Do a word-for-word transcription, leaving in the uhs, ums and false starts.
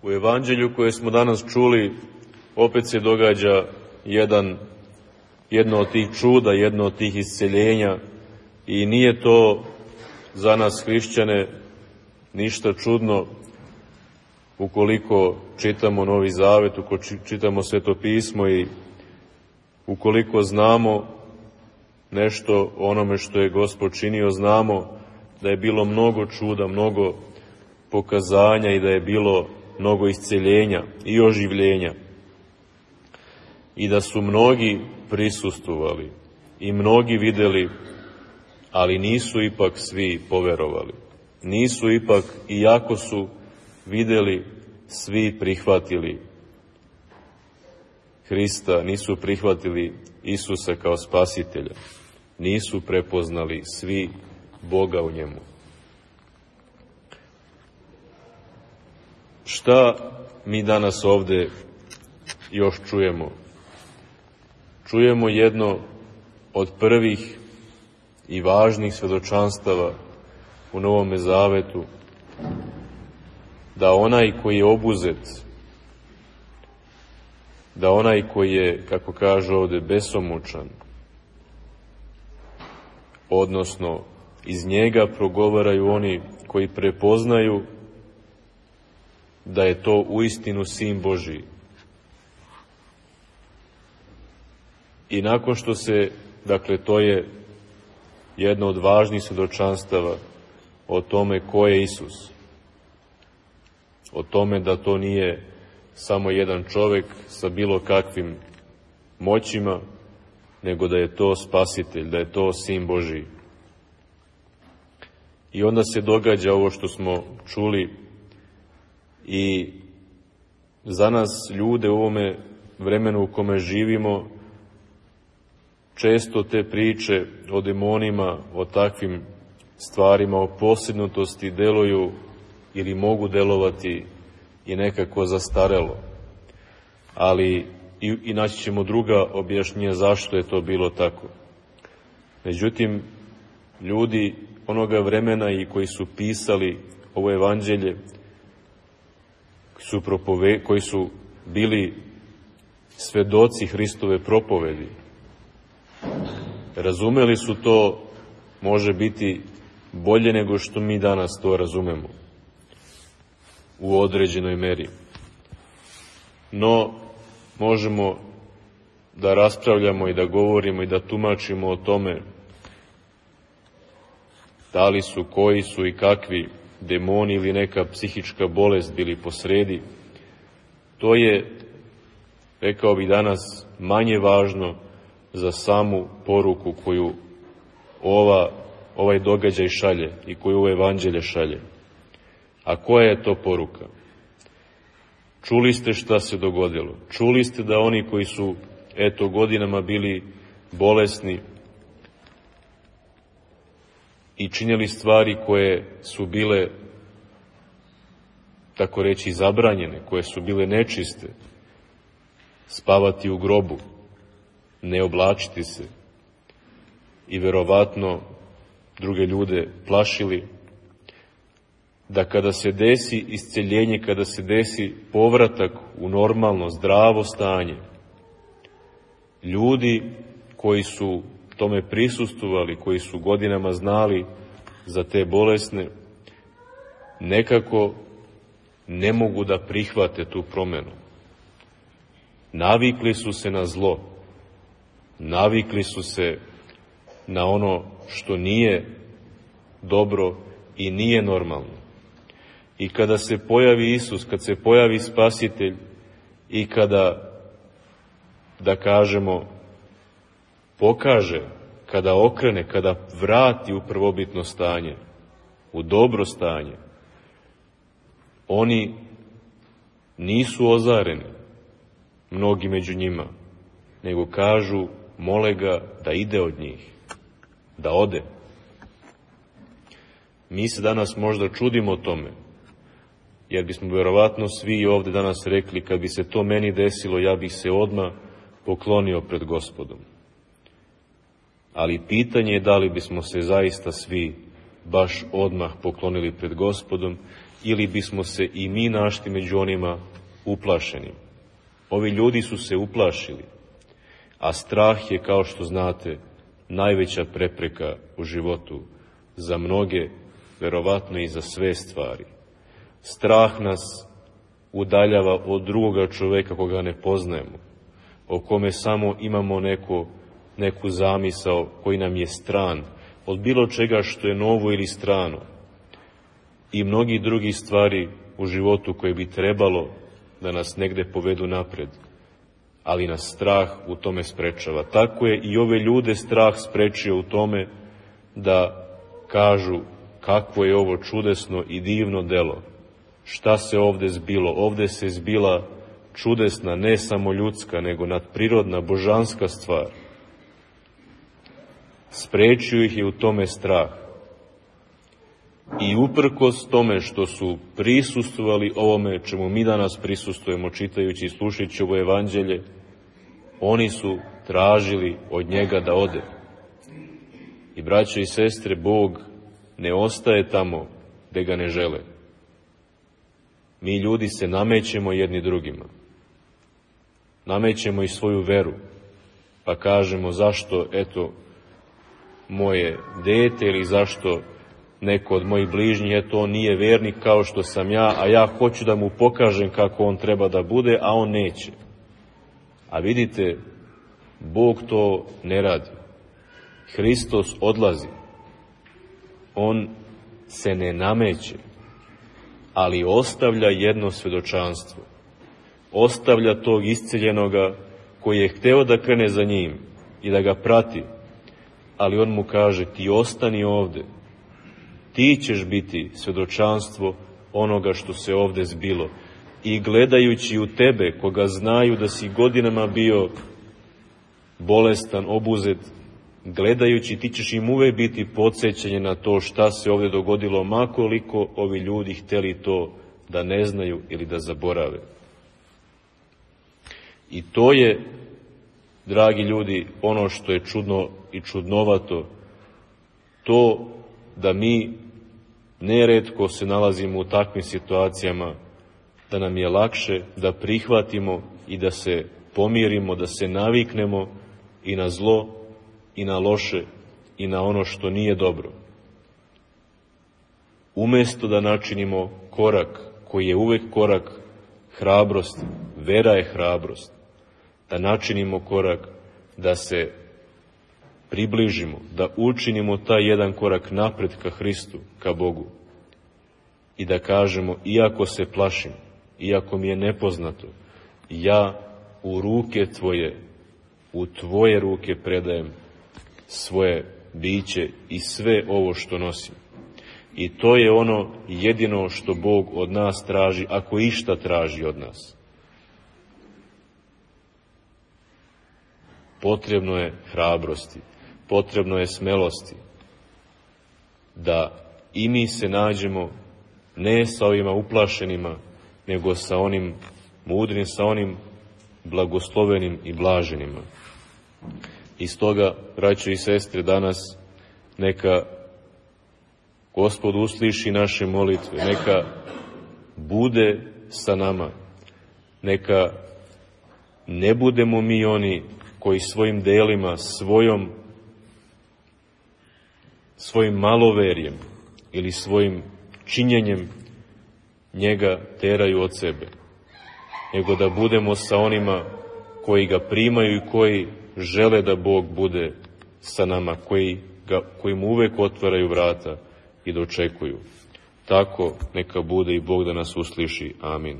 U evanđelju koje smo danas čuli opet se događa jedan, jedno od tih čuda, jedno od tih isceljenja i nije to za nas hrišćane ništa čudno ukoliko čitamo Novi Zavet, ukoliko čitamo Sveto pismo i ukoliko znamo nešto o onome što je Gospod činio, znamo da je bilo mnogo čuda, mnogo pokazanja i da je bilo mnogo isceljenja i oživljenja. I da su mnogi prisustvovali i mnogi videli, ali nisu ipak svi poverovali. Nisu ipak, iako su videli, svi prihvatili Hrista, nisu prihvatili Isusa kao spasitelja. Nisu prepoznali svi Boga u njemu. Šta mi danas ovde još čujemo? Čujemo jedno od prvih i važnih svedočanstava u Novome Zavetu, da onaj koji je obuzet, da onaj koji je, kako kaže ovde, besomučan, odnosno iz njega progovaraju oni koji prepoznaju da je to uistinu Sin Božiji. I nakon što se, dakle, to je jedno od važnih svedočanstava o tome ko je Isus, o tome da to nije samo jedan čovek sa bilo kakvim moćima, nego da je to Spasitelj, da je to Sin Božiji. I onda se događa ovo što smo čuli i za nas ljude u ovome vremenu u kome živimo, često te priče o demonima, o takvim stvarima, o posebnutosti deluju ili mogu delovati i nekako zastarelo. Ali i, i naći ćemo druga objašnjenja zašto je to bilo tako. Međutim, ljudi onoga vremena i koji su pisali ovo evanđelje, su propove, koji su bili svedoci Hristove propovedi, razumeli su to, može biti, bolje nego što mi danas to razumemo u određenoj meri. No, možemo da raspravljamo i da govorimo i da tumačimo o tome da li su, koji su i kakvi demoni ili neka psihička bolest bili posredi. To je, rekao bih danas, manje važno za samu poruku koju ova, ovaj događaj šalje i koju ovo evanđelje šalje. A koja je to poruka? Čuli ste šta se dogodilo. Čuli ste da oni koji su, eto, godinama bili bolesni i činjeli stvari koje su bile, tako reći, zabranjene, koje su bile nečiste, spavati u grobu, ne oblačiti se i verovatno druge ljude plašili, da kada se desi isceljenje, kada se desi povratak u normalno, zdravo stanje, ljudi koji su tome prisustvovali, koji su godinama znali za te bolesne, nekako ne mogu da prihvate tu promenu. Navikli su se na zlo, navikli su se na ono što nije dobro i nije normalno. I kada se pojavi Isus, kad se pojavi Spasitelj i kada, da kažemo, pokaže, kada okrene, kada vrati u prvobitno stanje, u dobro stanje, oni nisu ozareni, mnogi među njima, nego kažu, mole ga da ide od njih, da ode. Mi se danas možda čudimo tome, jer bismo verovatno svi ovde danas rekli, kad bi se to meni desilo, ja bih se odmah poklonio pred Gospodom. Ali pitanje je da li bismo se zaista svi baš odmah poklonili pred Gospodom ili bismo se i mi našli među onima uplašenim. Ovi ljudi su se uplašili, a strah je, kao što znate, najveća prepreka u životu za mnoge, verovatno i za sve stvari. Strah nas udaljava od drugoga čoveka koga ne poznajemo, o kome samo imamo neko, neku zamisao koji nam je stran, od bilo čega što je novo ili strano, i mnogi drugi stvari u životu koje bi trebalo da nas negde povedu napred, ali nas strah u tome sprečava. Tako je i ove ljude strah sprečio u tome da kažu kakvo je ovo čudesno i divno delo. Šta se ovde zbilo? Ovde se zbila čudesna, ne samo ljudska, nego nadprirodna, božanska stvar. Sprečio ih je u tome strah. I uprkos tome što su prisustvovali ovome čemu mi danas prisustujemo, čitajući i slušajući ovo evanđelje, oni su tražili od njega da ode. I braćo i sestre, Bog ne ostaje tamo gde ga ne žele. Mi ljudi se namećemo jedni drugima. Namećemo i svoju veru, pa kažemo zašto, eto, moje dete ili zašto neko od mojih bližnjih, eto, on nije vernik kao što sam ja, a ja hoću da mu pokažem kako on treba da bude, a on neće. A vidite, Bog to ne radi. Hristos odlazi. On se ne nameće, ali ostavlja jedno svedočanstvo. Ostavlja tog isceljenoga koji je hteo da krene za njim i da ga prati, ali on mu kaže, ti ostani ovde. Ti ćeš biti svedočanstvo onoga što se ovde zbilo. I gledajući u tebe, koga znaju da si godinama bio bolestan, obuzet, gledajući, ti ćeš im uvek biti podsjećanje na to šta se ovde dogodilo, makoliko ovi ljudi hteli to da ne znaju ili da zaborave. I to je, dragi ljudi, ono što je čudno i čudnovato, to da mi neretko se nalazimo u takvim situacijama, da nam je lakše da prihvatimo i da se pomirimo, da se naviknemo i na zlo, i na loše, i na ono što nije dobro. Umesto da načinimo korak, koji je uvek korak hrabrosti, vera je hrabrost, da načinimo korak, da se približimo, da učinimo taj jedan korak napred ka Hristu, ka Bogu, i da kažemo, iako se plašim, iako mi je nepoznato, ja u ruke Tvoje, u Tvoje ruke predajem svoje biće i sve ovo što nosim. I to je ono jedino što Bog od nas traži, ako išta traži od nas. Potrebno je hrabrosti, potrebno je smelosti, da i mi se nađemo ne sa ovima uplašenima, nego sa onim mudrim, sa onim blagoslovenim i blaženima. I stoga, braćo i sestre, danas neka Gospod usliši naše molitve, neka bude sa nama, neka ne budemo mi oni koji svojim delima, svojom, svojim maloverjem ili svojim činjenjem njega teraju od sebe, nego da budemo sa onima koji ga primaju i koji žele da Bog bude sa nama, koji, ga, koji mu uvek otvaraju vrata i dočekuju. Tako neka bude i Bog da nas usliši. Amin.